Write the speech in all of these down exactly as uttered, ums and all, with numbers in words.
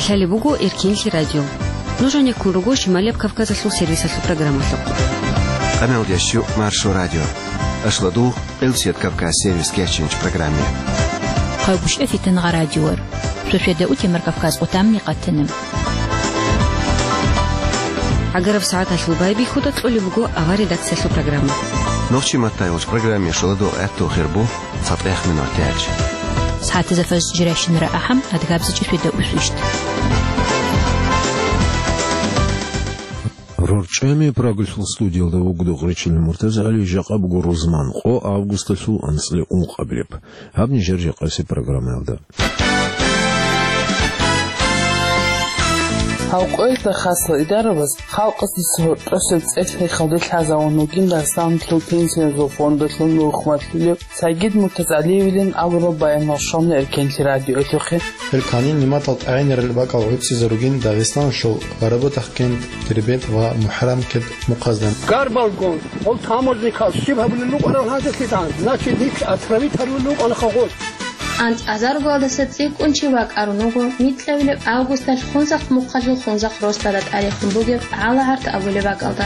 Лъалеб буго Эркенлъи радио. Нуж гьанеккун руго Шималияб Кавказалъул сервисалъул программалъухъ. Къамел ящу Маршо радио. Ашладу Элсият Кавказ сервис кеченч программе. Хъайгушев Фитангъа радиор. Суседа утемар Кавказ отамни къатанам. Агараб сагӀаталъул байбихьуда кьолеб буго авар редакциялъул программа. Нохчи маттайгъуч программе шоладу гӀатту хирбу цатӀех минутач. СагӀатазда фаз жирайщинара ахӀам, адгабзичӀи суседа усвищт. РорчӀами Прагалъул студиялда вугода гъечил Муртаза ГӀали, жакъа буго рузман къо августалъул анцӀила ункъабилеб. Гьаб нижер жакъасеб программаялда. Гьав къоялъда хасал идарабаз халкъалъе гьоркьосеб цӀех-хехалде лъазавун вугин Дагъистаналъул пенсиязул фондалъул нухмалъулев Сагид МуртазагӀалиевилин абураб баянал щвана Эркенлъи радиоялъухъе. Гьел кванил нигӀматал тӀагӀинарал бакӀал гӀуцӀизаругин Дагъистаналъул Барабудахъ кент, Дербент ва МухӀарамкент мухъазда. Гарбалгун, гъол таможникал щиб гьабулел рукӀарал гьанжеблъидал, значит, нилъ отравить гьарулел рукӀана хагъос. АнцӀазаргоялдаса цӀикӀкӀун чи вакӀарун вуго нилъ авилеб августалъ Хунзахъ мухъалъул Хунзахъ росдала тӀарихун бугеб ГӀала-ГӀарт абулеб бакӀалда.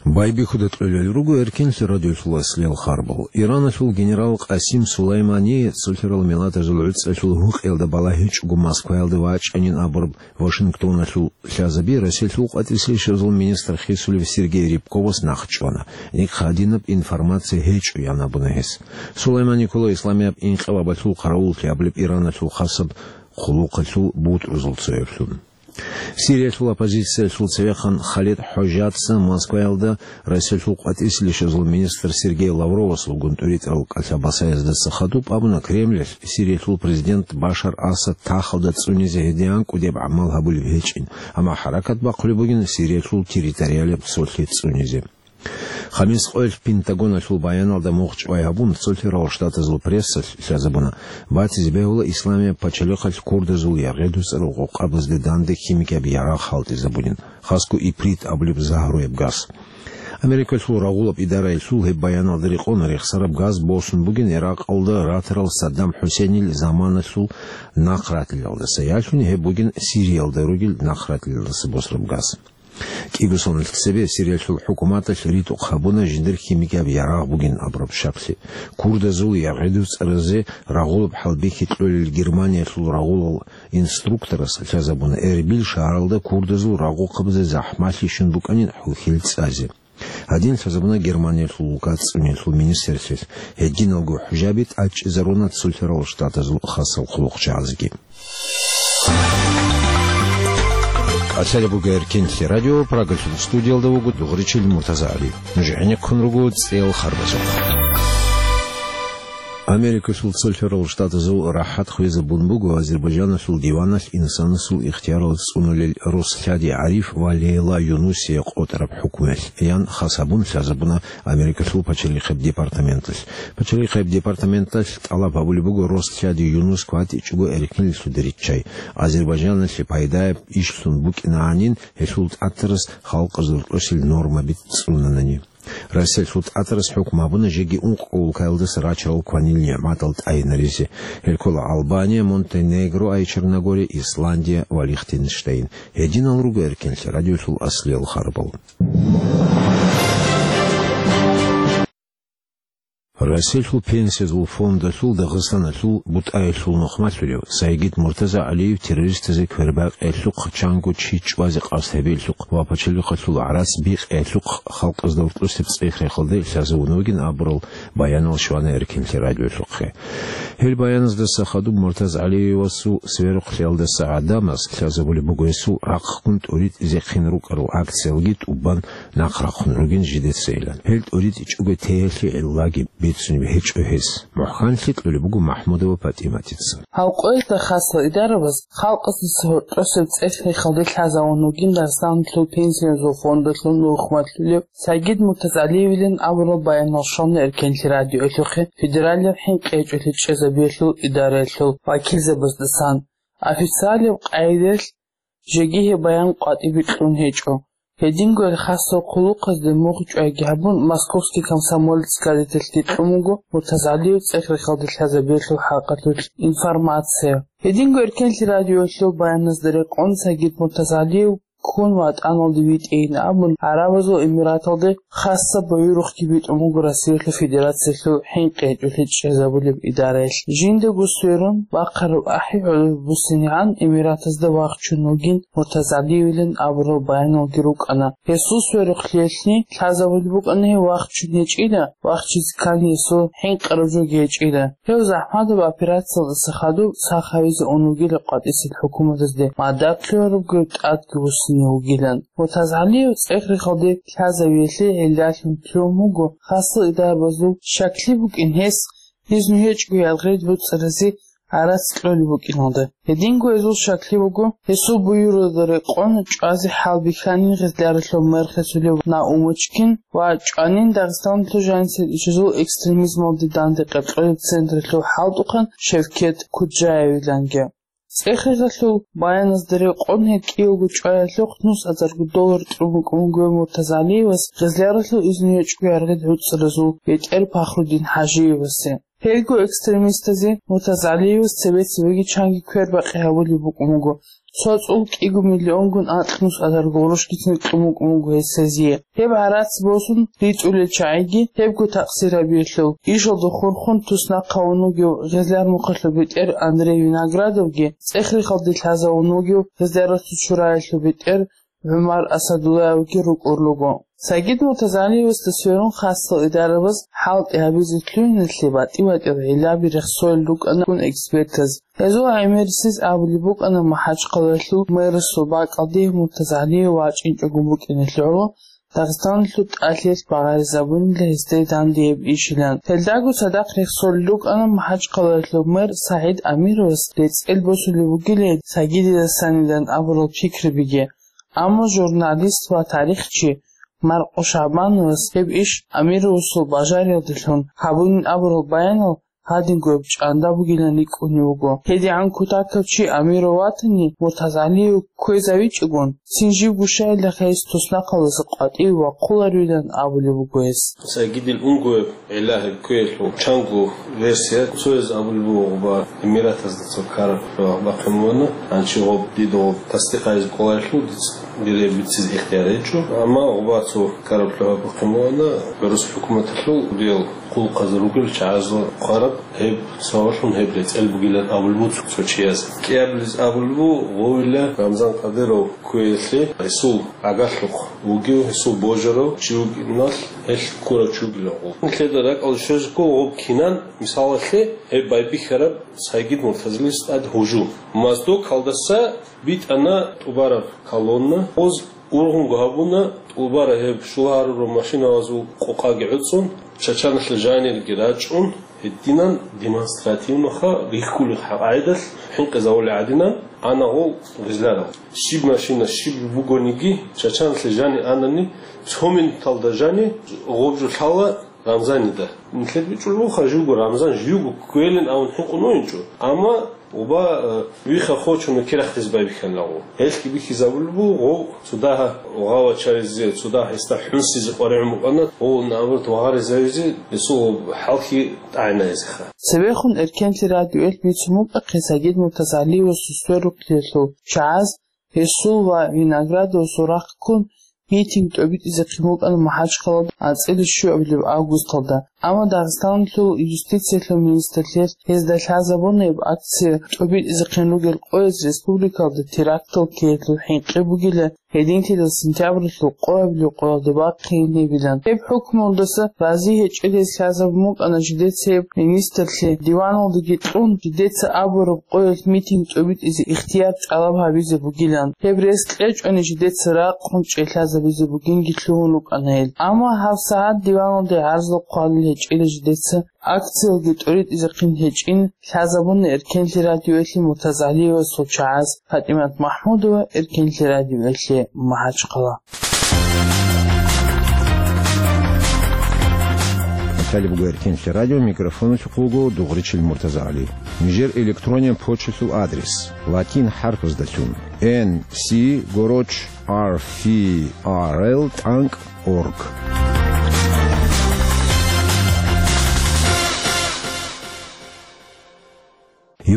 Байбихьуда кьолел руго Эркенлъи радиолъул аслиял харбал. Ираналъул генерал Къасим Сулаймани цолъарал миллатазул гӀуцӀалъул гьукъиялда балагьичӀого Москваялда вачӀанин абураб Вашингтоналъул лъазаби Россиялъул къватӀире лъезабазул министр хисулев Сергей Рябковас нахъ чӀвана. Нихъ гьадинаб информация гьечӀо, ян абуна гьес. Сулаймани ккола Исламияб инкъилабалъул хъаравуллъи абулеб Ираналъул хасаб хъулухъалъул бутӀрузул цояблъун. Сириялъул оппозициялъул цевехъан Халид Хожатца Москваялда Россиялъул къватӀире лъезабазул министр Сергей Лавровасулгун тӀуритӀарал кӀалъа-басаяздаса хадуб абуна Кремлялъ Сириялъул президент Башар Асад тахалда цӀунизе гьединан кӀудияб гӀамал гьабулеб гьечӀин, амма хӀаракат бахъулеб бугин Сириялъул территориалияб цолъи цӀунизе. Хамис къоялъ Пентагоналъул баяналда мугъчӀвай гьабун, цолъарал штатазул прессалъ лъазабуна, батизе бегьула Исламияб пачалихъалъ курдазул яргъи-дуцӀарал къокъабазде данде химикияб ярагъ хӀалтӀизабунин, хасго иприт абулеб загьруяб газ. Америкалъул рагъулаб идараялъул гьеб баяналда рекъон рехсараб газ босун бугин Иракъалда ратарал Саддам ХӀусейнил заманалъул нахъратилалдаса, ялъуни гьеб бугин Сириялда ругел нахъратилалдаса босураб газ. КӀибусуналъ цебе Сириялъул хӀукуматалъ ритӀухъ гьабуна жиндир химикияб ярагъ бугин абураб шаклъи. Курдазул яргъи-дуцӀаразе рагъулаб хӀалбихьи кьолел Германиялъул рагъулал инструкторас лъазабуна Эрбил шагьаралда курдазул рагъухъабазе захӀмалъи щун букӀанин хӀухьил цӀазе. Гьадин лъазабуна Германиялъул улкат цӀуниялъул министрлъи, гьединалго хӀужаби тӀадчӀезаруна цолъарал штатазул хасал хъулухъчагӀазги. КӀалъалеб буго Эркенлъи радио, Прагалъул студиялда вуго дугъричил Муртаза ГӀали. Нуж гӀенеккун руго цӀел харбазухъ. Америкалъул цолъарал штатазул рахӀат хвезабун буго Азербайджаналъул диваналъ инсанасул ихтиярал цӀунулел рос лъади ГӀариф ва Лейла Юнусие къотӀараб хӀукмуялъ, ян хас гьабун лъазабуна Америкалъул пачалихъеб департаменталъ. Пачалихъеб департаменталъ тӀалаб гьабулеб буго рос лъади Юнус кватӀичӀого эркинлъуде риччай, Азербайджаналъе пайдаяб ишлъун букӀинагӀанин гьелъул тӀатарас халкъазул росил нормаби цӀунанани. Россиялъул тӀатарас хӀукму гьабуна жеги ункъго улкаялдаса рачарал кванил нигӀматал тӀайинаризе. Гьел ккола Албания, Монтенегро, ай Черногория, Исландия ва Лихтенштейн. Гьединал руго Эркенлъи радиолъул аслиял харбал. Россиялъул пенсиязул фондалъул Дагъистаналъул бутӀаялъул нухмалъулев Сайгид Муртаза ГӀалиев террористазе квербакъиялъухъ, чанго чи чӀвазе къасд гьабиялъухъ ва пачалихъалъул гӀарац бикъиялъухъ халкъазда уркьусеб цӀех-рехалде лъазавун вугин абурал баянал щвана Эркенлъи радиолъухъе. Гьел баяназдаса хадуб Муртаза ГӀалиевасул сверухълъиялдаса гӀадамаз лъазабулеб буго гьесул рахъгун тӀуритӀизехъин рукӀарал акциялги тӀубан нахърахъун ругин жидецайилан. Гьел тӀуритӀичӀого теялъе гӀиллаги бицунеб гьечӀо гьес. МухӀканлъи кьолеб буго МахӀмудова ПатӀиматица. Гьав къоялъда хасал идарабаз халкъалъе гьоркьосеб цӀех-хехалде лъазавун вугин Дагъистаналъул пенсиязул фондалъул нухмалъулев Сайгид МуртазагӀалиевилин абураб баянал щвана Эркенлъи радиоялъухъе федералияб хӀинкъи гьечӀолъи чӀезабиялъул идараялъул вакилзабаздасан. Официалияб къайдалъ жеги гьеб баян къватӀибе кьун гьечӀо. Гьединго гьел хасал хъулухъазде мугъ чӀвайги гьабун, Московский комсомолец газеталъги кьун буго МуртазагӀалиев цӀех-рехалде лъазабиялъул хӀакъалъулъ информация. Гьединго Эркенлъи радиоялъул баяназда рекъон Сагид Муртазгьалиев ккун ВатӀаналде витӀейин абун, ГӀарабазул Эмираталде хасаб буюрухъги битӀун буго Россиялъул Федерациялъул хӀинкъи гьечӀолъи чӀезабулеб идараялъ. Жиндаго сверун, бахъараб ахӀи гӀоло буссинегӀан Эмиратазда вахчун вугин Муртазгьалиевилан абурал баяналги рукӀана. Гьесул сверухълъиялъни лъазабулеб букӀана гьев вахчун гьечӀила, вахчизе ккани гьесул хӀинкъараб жоги гьечӀила. Гьев захӀматаб операциялдаса хадуб сах гьавизе ун вугила къватӀисел хӀукуматазде, мадат лъугьарабго тӀадги вуссине вугилан. Муртазгьалиев цӀех-рехалде лъазавиялъе гӀиллалъун лъугьун вуго хасал идарабазул щаклъи букӀин гьес, изну гьечӀго яргъи буцӀцӀаразе гӀарац кьолеб букӀиналда. Гьединго гьезул щаклъи буго, гьесул буюралда рекъон чӀвазе хӀал бихьанин Гъизляралъул мэр хисулев Наумочкин ва чӀванин Дагъистаналъул жанисел ишазул экстремизмалде данде къеркьолеб централъул хӀалтӀухъан Шевкет Куджаевиланги. ЦӀех-рехалъул баяназда рекъон гьеб кӀиявго чӀваялъухъ нусазарго доллар тӀун букӀун буго Муртазгьалиевас Гъизляралъул изну гьечӀго яргъи буцӀцӀаразул бетӀер Пахрудин ХӀажиевасе. Гьелго экстремистазе Муртазгьалиевас цебе-цебеги чанги квербакъи гьабулеб букӀун буго, цо цӀул кӀиго миллионгун акь нусазарго гъурущгицин кьун букӀун буго гьес гьезие. Гьеб гӀарац босун ритӀулел чагӀиги гьебго такъсир гьабиялъул, ишалда хурхун туснахъ гьавун вугев Гъизляр мухъалъул бетӀер Андрей Виноградовги, цӀех-рехалде лъазавун вугев Гъизляралъул чураялъул бетӀер ГӀумар Асадуллаевги рукӀур руго. Сагид Муртазгьалиевасда сверун хасал идарабаз хӀалтӀи гьабизе лъугьиналъе батӀи-батӀиял гӀиллаби рехсолел рукӀана экспертаз. Гьезул гӀемерисез абулеб букӀана МахӀачхъалаялъул мэрасул бакӀалде Муртазгьалиев вачӀинчӀого букӀиналъе гӀоло Дагъистаналъул тӀалъиялъ багъаризабунила гьесде дандияб ишилан. Гьелдаго цадахъ рехсолел рукӀана МахӀачхъалаялъул мэр СагӀид Амировас рецӀел босулеб бугилан Сагидидасанилан абурал пикрабиги. Амма журналист ва тарихчи Маркъо Шагьбановас гьеб иш Амировасул бажариялдалъун гьабунин абурал баянал гьадинго гьеб чӀанда бугилан рикӀкӀунев вуго. ГьедигӀан кутакав чи Амиров ватани, Муртазгьалиев кквезавичӀогон, цин живго щайилаха гьес туснахъалдаса къватӀиве вахъуларилан абулеб буго гьес. Сагидил унгояб гӀиллагьи кквеялъул чанго версия, цояз абулеб буго гъоба Эмиратазда цо ккараб лъугьа бахъин вугьана, гьанчи гъоб дида гъоб тасдикъ гьабизе кӀоларелъул дица биреб бицизе ихтияр гьечӀо, амма гъоба цо ккараб лъугьа бахъин вугьана, гӀурус хӀукуматалъул диял хъулухъазул ругел чагӀазул хъвараб гьеб савалъун гьеб рецӀел бугилан абулеб буго цо чияс. КӀиабилез абулеб буго, гъовила Рамзан Кадыров кквеялъе гьесул гӀагарлъухъ вугев, гьесул божарав чи вугиналъ гьелъ ккурав чи вугилан гъов. Нилъеда ракӀалде щвезеги гъоб кинан, мисалалъе, гьеб байбихьараб Сагид Муртазгьалиевас тӀад гьужум. Моздокалдаса битӀана тӀубараб колонна, гъоз ургъунго гьабуна, тӀубара гьеб щулагьарурал машиназул къокъаги гӀуцӀун, Чачаналъе жанирги рачӀун, гьединан демонстративноха рихьулел къагӀидалъ хӀинкъизавулел гӀадинан ана гъол Гъизлярал. Щиб машина, щиб бугониги, Чачаналъе жани анани, цо минуталда жани гъоб жо лъала Рамзанида. Нилъеда бичӀчӀулеб буго, живго Рамзан живго кквелин абун хӀинкъун вугинчӀо. Амма гъоба, э, вихха хочун кирахъизе байбихьана гъов. Гьелъги бихьизабулеб буго гъов цо дагьа гъавачаризе, цо дагьа гьесда хӀунсизе къваригӀун букӀана, гъов, наоборот, вагъаризавизе гьесул гъоб хӀалхьи тӀагӀинайизеха. Цебехун Эркенлъи радиоялъ бицун букӀахъе Сагид Муртазгьалиевасул сверухълъиялъул чагӀаз гьесул ва Виноградовасул рахъ ккун митинг тӀобитӀизехъин букӀана МахӀачхъалаялда анцӀила щуабилеб августалда. Амма Дагъистаналъул юстициялъул министрлъиялъ гьезда лъазабуна гьеб акция тӀобитӀизехъин ругел къояз республикалда терактал ккеялъул хӀинкъи бугила, гьединлъидал сентябралъул къоабилеб къоялда бахъейин гьебилан. Гьеб хӀукмуялдаса рази гьечӀел гьез лъазабун букӀана жидеца гьеб министрлъи диваналдаги кьун, жидеца абураб къоялъ митинг тӀобитӀизе ихтияр тӀалаб гьабизе бугилан. Гьеб рес кьечӀони жидеца ракъун чӀей лъазабизе бугинги лъугьун рукӀана гьел. Амма гьабсагӀат диваналде гӀарзал хъвалел гьечӀила жидеца, акциялги тӀоритӀизехъин гьечӀин, лъазабуна Эркенлъи радиоялъе Муртазгьалиевасул чагӀаз. ПатӀимат МахӀмудова, Эркенлъи радиоялъе, МахӀачхъала. Баталияб буго Эркенлъи радио, микрофоналъухъ вуго Дугъричил Муртазагьали. Нижер электрониян почталъул адрес: латин хӀарпаздалъун, Н С, гороч, Р Ф Р Л, тӀанкӀ, орг.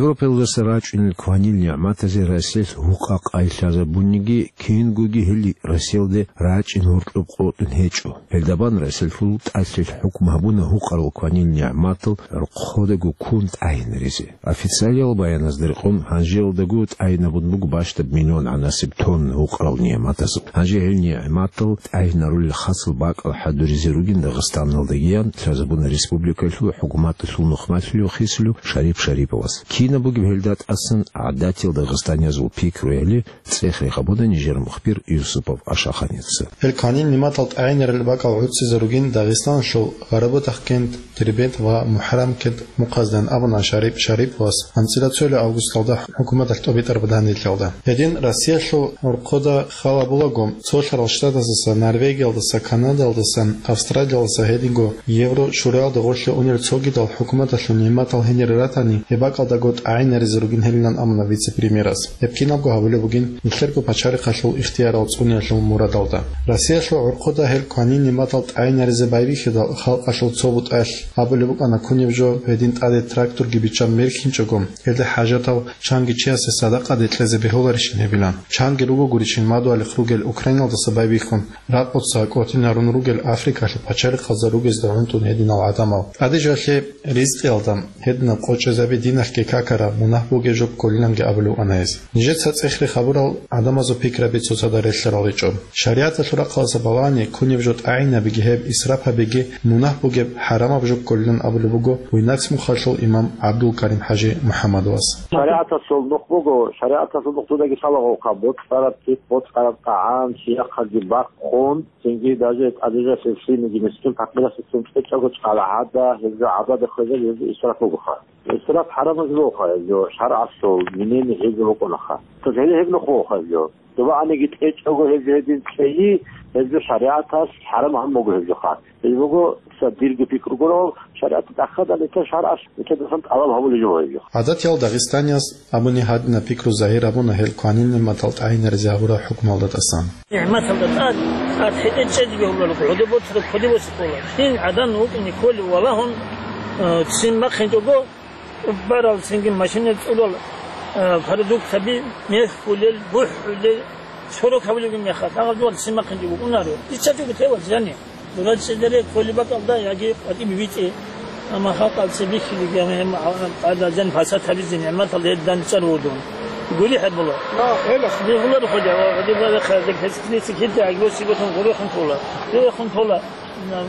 Европаялдаса рачӀунел кванил нигӀматазе Россиялъ гьукъа-къай лъазабуниги, кингоги гьел Россиялде рачӀин гьоркьоб къотӀун гьечӀо. Гьелдабан Россиялъул тӀалъилъ хӀукму гьабуна гьукъарал кванил нигӀматал рхъодаго ккун тӀагӀинаризе. Официалиял баяназда рекъон, гьанжеялдаго тӀагӀинабун буго бащдаб миллион гӀанасеб тонна гьукъарал нигӀматазул. Гьанже гьел нигӀматал тӀагӀинарулел хасал бакӀал хӀадуризе ругин Дагъистаналдагиян лъазабуна республикалъул хӀукуматалъул нухмалъулев хисулев Шарип Шариповас. Кинаб бугеб гьелда тӀасан гӀадатиял дагъистаниязул пикруяли цӀех рехабуна нижер мухбир Юсупов Ашаханица. Гьел кванил нигӀматал тӀагӀинарил бакӀал гӀуцӀизе ругин Дагъистаналъул Гъарабудагъкент, Дербент ва МухӀаррамкент мухъаздан абуна Шарип Шариповас анцӀила цоялъ августалда хӀукуматалъ тӀобитӀараб данделъалда. Гьедин Россиялъул гӀурхъода хал гьабулаго, цолъарал штатаздаса, Норвегиялдаса, Канадаялдаса, Австралиялдаса, гьединго Евро шураялда гъорлъе унел цогидал хӀукуматалъул нигӀматал гьенире ратани, гьеб бакӀалдаго тӀагӀинаризе ругин гьелилан абуна вице-премьерас. Гьеб кинабго гьабулеб бугин нилъерго пачалихъалъул ихтиярал цӀуниялъул мурадалда. Россиялъул гӀурхъода гьел кванил нигӀматал тӀагӀинаризе байбихьидал халкъалъул цо бутӀалъ абулеб букӀана кунеб жо гьедин тӀаде тракторги биччан мерхьинчӀого, гьелде хӀажатав чанги чиясе садакъаде кьезе бегьуларищин гьебилан. Чанги руго гурищин мадугьалихъ ругел Украиналдаса байбихьун, ракъуца кӀотӀинарун ругел Африкалъул пачалихъазда ругезда гӀунтӀун гьединал гӀадамал. ТӀадежалъе ризкъиялда гьединаб къочӀезаби диналъги какараб, мунагь бугеб жо кколиланги абулев ана гьез. Нижеца цӀех рехабурал гӀадамазул пикраби цоцазда релълъарал гьечӀо. ШаригӀаталъул рахъалдаса балагьани, кунеб жо тӀагӀинабиги гьеб исраф гьабиги мунагь бугеб, хӀарамаб жо кколилан абулеб буго Буйнакск мухъалъул имам ГӀабдулкарим-хӀажи МухӀаммадовас. ШаригӀаталъул нух буго, шаригӀаталъул нух дудаги лъалагъулха, боцӀараб цӀикӀ, боцӀараб тӀагӀам, чияхъаги бахъун, цинги даже тӀадежалъе лъимиги мискин-пакъирасдецин кьечӀого чӀала гьада, гьеб жо гӀадада хвезаби, гьеб жо исраф бугоха. Исраф хӀарамаб жо бугоха гьеб жо, шаргӀалъул, гьениб гьеб жо букӀунаха. Цо гьеле гьеб нух бугоха гьеб жо. Доба гьаниги кьечӀого гьеб жо гьедин кьейи, гьеб жо шаригӀаталъ хӀарамаб буго гьеб жоха. Гьеб буго цо дирго пикру гурав, шаригӀаталъ тӀахьазда нилъер шаргӀалъ нилъедасан тӀалаб гьабулеб жо гьеб жо. ГӀадатиял дагъистанияс абуни гьадинаб пикру загьир гьабуна гьел кванил нигӀматал тӀагӀинаризе гьабураб хӀукмуялда тӀасан. НигӀматалда тӀад, тӀад хӀетӀе чӀезе бегьуларо, гӀодоб боцӀраб кодоб боцӀи ккола. Цин гӀадан вукӀине кколев валагьун, э, цин бахъинчӀого, барал цинги машинал цӀурал, э, продуктаби, мехьулел, бухӀулел, сорок гьабулеб мехалъ, гьагъаб жугьал цин бахъинчӀого унаро. ИсчачӀого тевал зани. Дура чӀезаре кколеб бакӀалда яги къватӀибе битӀе. Амма халкъалъ цебехьилиги, амма гьеб, а, а, гьадин фасад гьабизе нигӀматал гьедин чӀар вугун. Гури хӀебула. Бихулар хъули, ва гьадин ва хъа, дек гьес килиси кида, агьлу сиготун гури хун тола. Гури хун тола.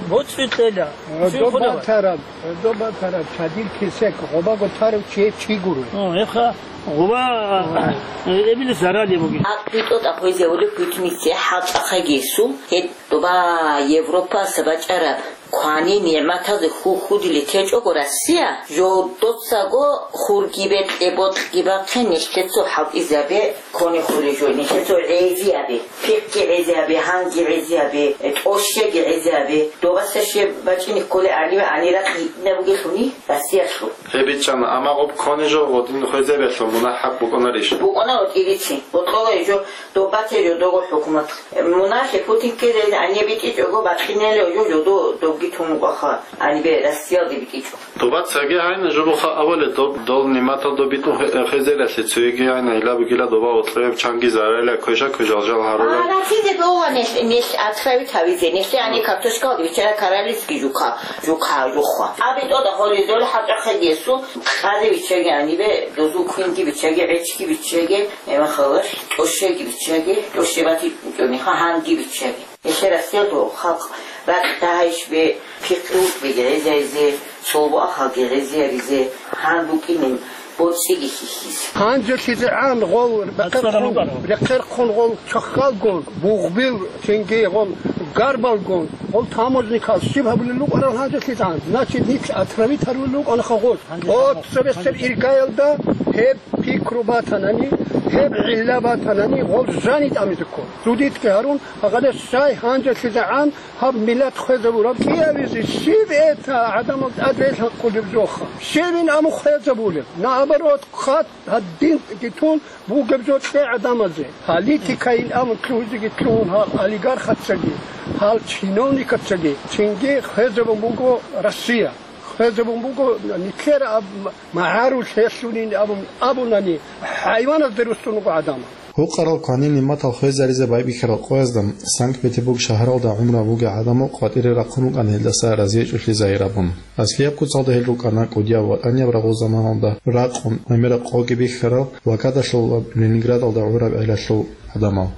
БоцӀи кьела. Цуй хъула. Доба тараб, доба тараб, чадил кисек, гъобаго тарав чи, чи гури. О, эха, гъоба, э, эбили зарали буги. ГӀакълу тӀокӀаб гьезавулеб битӀнице хӀалчӀахъаги гьесул, гьеб Доба Европаса бачӀараб квани нигӀматазе хьул хьудиле течӀого Россия, жодоцаго хурги бекье, бокьги бахъе, нилъецо хӀалтӀизабе ккони хуле жо, нилъецо гӀезиябе, пихъги гӀезиябе, гьанги гӀезиябе, тӀощеги гӀезиябе, добаса щиб бачӀине кколе гӀаниве гӀанира кьитӀина бугелъуни Россиялъул. Гьеб бичӀчӀана, амма гъоб ккони жо гъодин хвезабиялъул мунагь хӀакъ букӀунарищ? БукӀуна гъотӀилицин, бокьола жо. Добаце жодого хӀукумат. Мунагьлъи Путинке гӀаниб битӀичӀого бакъинелев жо жодо добги тун букӀаха, гьанибе Россиялде битӀичӀо. Добацаги гьайна жо буха авале доб, дол нигӀматал доб битӀун хе-, хезералъе цоеги гьайна ила бугила доба гъотлъе чанги зарайла квеша кве жал-жал гьарула. А, нахизе дола нелъ, нелъ отравить гьавизе, нелъе гьани картошкалде бичара каралицги жука, жука, жухва. Аби тода холизол хӀакъахъе гесу, къаде бичаги гьанибе, дозу квинги бичаги, гӀечги бичаги, Эма халалъ тӀощеги биччаги, тӀощебати кӀуни, гьанги биччаги. Нилъер Россиялъул халкъ ракь дагьайищ бе пихъи букӀиги гӀезайзе, цолбу ахалги гӀезияризе, гьан букӀинин боцӀиги хьихьизе. ГьанжелъизегӀан гъол рекъерхъун, рекъерхъун гъол чахалгун, бугъбил цинги гъол гарбалгун, гъол таможникал щиб гьабулел рукӀарал гьанжелъизегӀан? Значит, нилъ отравить гьарулел рукӀанаха гъоз. О, цебесеб иргаялда гьеб пикру батанани, гьеб гӀилла батанани, гъол жани тӀамизеккун. Зудитги гьарун, гьагъадеш щай гьанжелъизегӀан гьаб миллат хвезабураб кӀиабизе щиб эта гӀадамал тӀад релъанхъулеб жоха? Щибин аму хвезабулеб? Наоборот, хъат гьадин тун бугеб жо кье гӀадамазе. Политикайин аму лъугьизеги лъугьун гьал олигархацаги, гьал чиновникацаги, цинги хвезабун буго Россия. Гьезабун буго, нилъер аб-, магӀарул лъелъунин абун абунани, хӀайваназде руссун руго гӀадамал. Гьукъарал кванил нигӀматал хвезаризе байбихьарал къоязда Санкт-Петербург шагьаралда гӀумру гьабуги гӀадамал къватӀире рахъун рукӀана гьелдаса разиячӀулъи загьир абун. Аслияб куцалда гьел рукӀана кӀудияб ва тӀаниб рагъул заманалда ракъун, гӀемераб къоги бихьарал, блокадалъул ва Ленинградалда гӀураб гӀелалъул гӀадамал.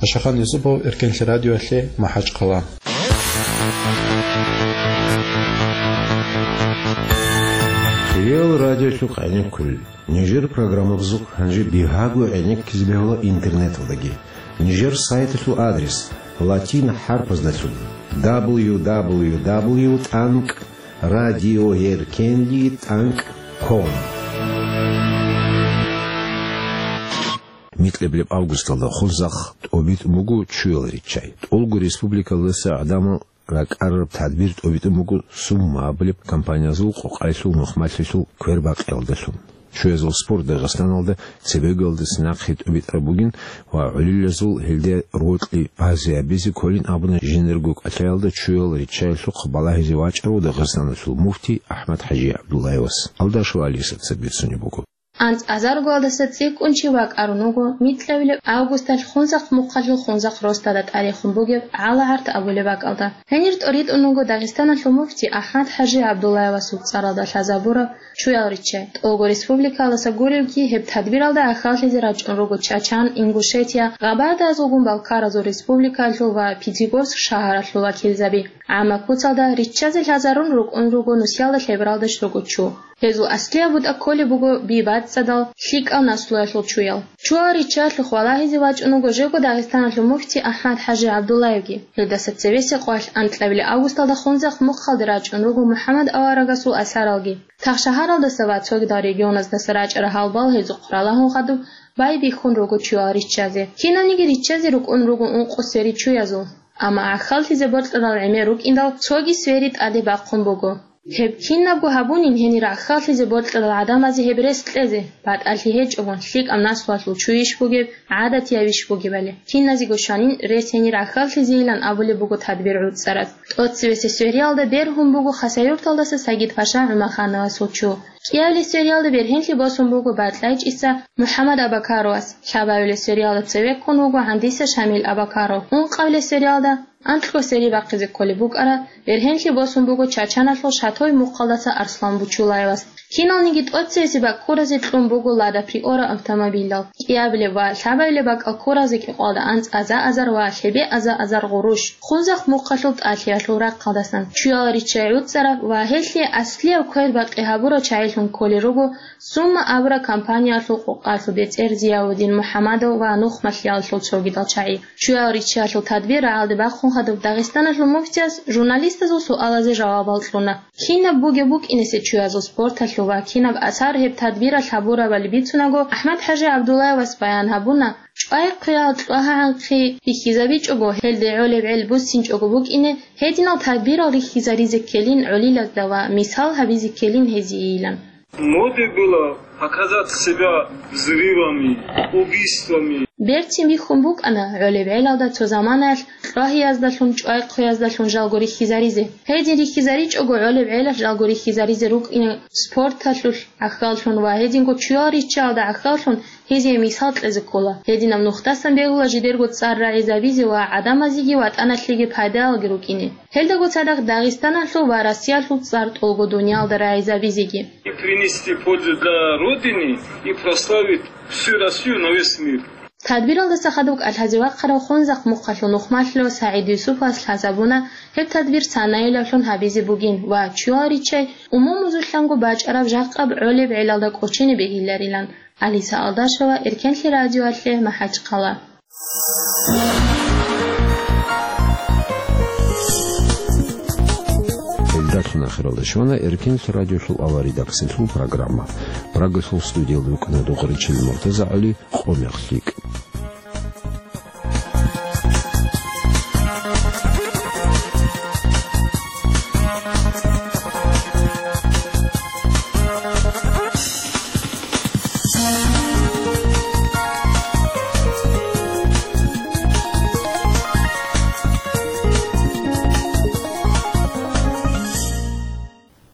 Ашахан Юсупов, Эркенлъи радиоялъе, МахӀачхъала. Кирилл радиолъухъ гӀенеккулел. Нижер программабазухъ гьанже бигьаго гӀенеккизе бегьула интернеталдаги. Нижер сайталъул адрес: латин хӀарпаздалъун: дабл ю дабл ю дабл ю тӀанкӀ радиоэркенлъи тӀанкӀ ком. Микьабилеб августалда Хунзахъ тӀобитӀун буго чуял риччай. ТӀолго республикалдаса гӀадамал ракӀарараб тадбир тӀобитӀун буго Сумма абулеб компаниязул къокъаялъул нухмалъулъул квербакъиялдалъун. Чуязул спорт Дагъистаналда цебеголдаса нахъе тӀобитӀараб бугин ва гӀолилазул гьелде рокьи базе гьабизе кколин абуна жиндирго кӀалъаялда чуял риччаялъухъ балагьизе вачӀарав Дагъистаналъул муфтий АхӀмад-ХӀажи ГӀабдуллаевас. Алдашев Алиса цебе бицунеб буго. АнцӀазаргоялдаса цӀикӀкӀун чи вакӀарун вуго микьабилеб августалъ Хунзахъ мухъалъул Хунзахъ росдада тӀарихун бугеб ГӀала-ГӀарт абулеб бакӀалда. Гьенир тӀоритӀун вуго Дагъистаналъул муфти АхӀмад-ХӀажи ГӀабдуллаевасул цӀаралда лъазабураб чуял риччай. ТӀолго республикалдаса гуребги гьеб тадбиралда гӀахьаллъизе рачӀун руго Чачан, Ингушетия, Гъабардаязулгун Балкаразул республикаялъул ва Пятигорск шагьаралъул вакилзаби. ГӀамма куцалда риччазе лъазарун рукӀун руго нусиялда лъебералдаш руго чу. Гьезул аслияб бутӀа кколеб буго би бацӀцӀадал, лъикӀал наслуялъул чуял. Чуял риччаялъухъ валагьизе вачӀун вуго жего Дагъистаналъул муфти АхӀмад-ХӀажи ГӀабдуллаевги. Гьелдаса цевесеб къоялъ анкьабилеб августалда Хунзахъ мухъалде рачӀун руго МухӀаммад аварагасул асаралги. Цо шагьаралдаса ва цогидал регионаздаса рачӀарал гьалбал гьезухъ ралагьун хадуб байбихьун руго чуял риччазе. Кинабниги риччазе рукӀун руго ункъо сери чуязул. Амма гӀахьаллъизе бокьарал гӀемер рукӀиндал цоги сери тӀаде бахъун буго. Гьеб кинабго гьабунин гьенир гӀахьаллъизе бокьарал гӀадамазе гьеб рес кьезе, батӀалъи гьечӀого, лъикӀаб наслуялъул чуйищ бугеб, гӀадатиябищ бугебали. Киназего щванин рес гьенир гӀахьаллъизейилан абулеб буго тадбир гӀуцӀараз. ТӀоцевесеб сериялда бергьун буго Хасавюрталдаса Сагид-паша ГӀумахановасул чу. КӀиабилеб сериялда бергьенлъи босун буго БатӀлайчӀиса МухӀаммад Абакаровас, лъабабилеб сериялда цеве ккун вуго ГӀандиса Шамил Абакаров, ункъабилеб сериялда анкьго сери бахъизе кколеб букӀараб, бергьенлъи босун буго Чачаналъул Шатой мухъалдаса Арслан Бучулаевас. Киналниги тӀоцевесеб баккуразе кьун буго Лада Приора автомобилал. КӀиабилеб ва лъабабилеб бакӀал ккуразе кӀикъоялда анцӀаза азар ва лъебеаза азар гъурущ. Хунзахъ мухъалъул тӀалъиялъул рахъалдасан чуял риччай гӀуцӀараб ва гьелъие аслияб квербакъи гьабурал чагӀилъун кколел руго Сумма абураб компаниялъул къокъалъул бецӀер Зияудин МухӀаммадов ва нухмалъиялъул цогидал чагӀи. Чуял риччаялъул тадбир рагӀалде бахъун хадуб Дагъистаналъул муфтияс журналистазул суалазе жавабал кьуна. Кинаб бугеб букӀинесе чуязул спорталъул ва кинаб асар гьеб тадбиралъ гьабурабали бицунаго, АхӀмад-ХӀажи ГӀабдуллаевас баян гьабуна, чӀвай-хъвеял кьвагьа-гӀанхъи бихьизабичӀого, гьелде гӀолеб гӀел буссинчӀого букӀине, гьединал тадбирал рихьизаризе ккелин гӀолилазда ва мисал гьабизе ккелин гьезиейилан. Моде было показать себя взрывами, убийствами. Берцин бихьун букӀана гӀолеб гӀелалда цо заманаялъ кьвагьияздалъун, чӀвай-хъвеяздалъун жалго рихьизаризе. Гьедин рихьизаричӀого гӀолеб гӀелалъ жалго рихьизаризе рукӀине спорталъулъ гӀахьаллъун ва гьединго чуял риччаялда гӀахьаллъун гьезие мисал кьезе ккола. Гьединаб нухдасан бегьула жидерго цӀар рагӀизабизе ва гӀадамазеги ватӀаналъеги пайдаялги рукӀине. Гьелдаго цадахъ Дагъистаналъул ва Россиялъул цӀар тӀолго дуниялда рагӀизабизеги. И принести пользу для Родины, и прославить всю Россию на весь мир. Тадбиралдаса хадуб кӀалъазе вахъарав Хунзахъ мухъалъул нухмалъулав СагӀид Юсуповас лъазабуна, гьеб тадбир санаилавлъун гьабизе бугин ва чуял риччай умумузулъанго бачӀараб жакъаб гӀолеб гӀелалда кӀочине бегьиларилан. Алиса Алдашева, Эркенлъи радиоялъе, МахӀачхъала. Гьелдалъун ахиралда щвана Эркенлъи радиолъул авария редакциялъул программа. Прагалъул студиялда рукӀана Духаричил Муртаза ГӀали, къо мех лъикӀ.